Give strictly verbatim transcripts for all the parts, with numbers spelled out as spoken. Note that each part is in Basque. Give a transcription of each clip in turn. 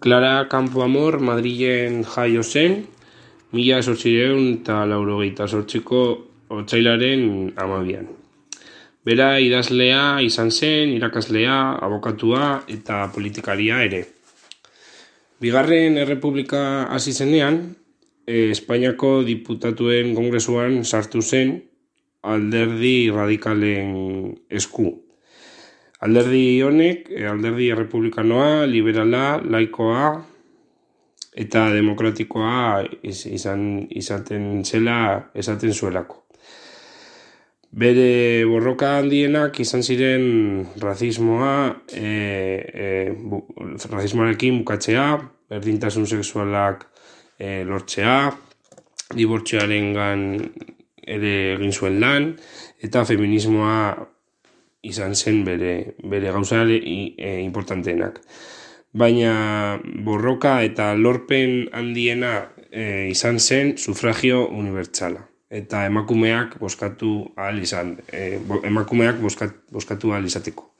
Clara Campoamor Madrilen jaio zen, mila zortziehun eta laurogeita zortziko otsailaren hamabian. Bera idazlea izan zen, irakaslea, abokatua eta politikaria ere. Bigarren Errepublika hasi zenean, eh, Espainiako diputatuen kongresuan sartu zen alderdi radikalen esku. Alderdi honek, alderdi errepublikanoa, liberala, laikoa eta demokratikoa izan, izaten zela esaten zuelako. Bere borroka handienak izan ziren razismoa, e, e, bu, razismoarekin bukatzea, berdintasun sexualak e, lortzea, dibortzioarengan ere egin zuen lan, eta feminismoa izan zen bere, bere gauza e, importanteenak. Baina borroka eta lorpen handiena e, izan zen sufragio unibertsala. Eta emakumeak bozkatu ahal izan, e, emakumeak bozkat, bozkatu ahal izateko.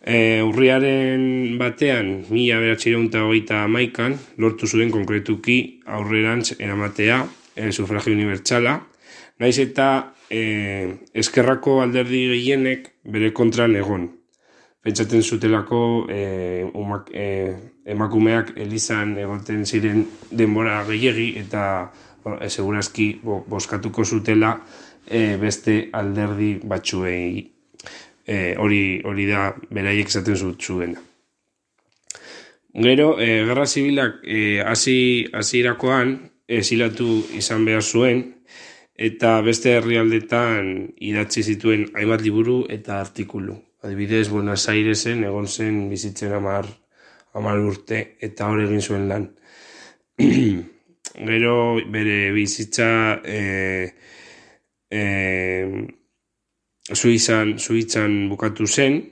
E, urriaren batean, mila bederatziehun eta hogeita hamaikan, lortu zuen konkretuki aurrerantz eramatea e, sufragio unibertsala, naiz eta e, eskerrako alderdi gehienek bere kontran egon. Pentsaten zutelako e, umak, e, emakumeak elizan egoten ziren denbora gehiegi eta e, segurazki bo, bozkatuko zutela e, beste alderdi batzuei e, hori, hori da beraiek esaten zuena. Gero, e, Gerra Zibilak e, hasi hasirakoan esilatu izan behar zuen, eta beste herrialdetan idatzi zituen hainbat liburu eta artikulu. Adibidez, Buenos Airesen egon zen bizitzen hamar, hamar urte eta hor egin zuen lan. Gero bere bizitza e, e, Suizan, Suitzan bukatu zen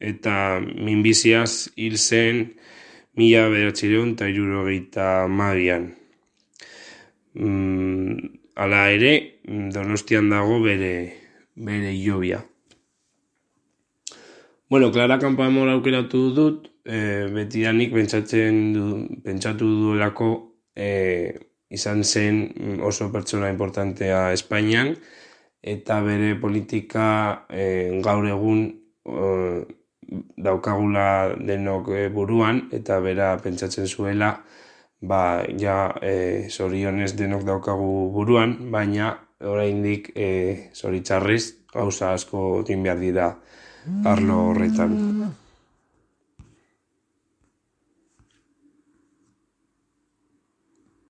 eta minbiziaz hil zen mila bederatziehun eta hirurogeita hamabian. Mm, Hala ere, Donostian dago bere, bere hilobia. Bueno, Clara Campoamor aukeratu dut, e, betidanik pentsatzen du, pentsatu duelako e, izan zen oso pertsona importantea Espainian, eta bere politika e, gaur egun e, daukagula denok e, buruan, eta bera pentsatzen zuela, ba, ja, e, zorionez denok daukagu buruan, baina oraindik e, zoritzarrez gauza asko egin behar dira arlo horretan.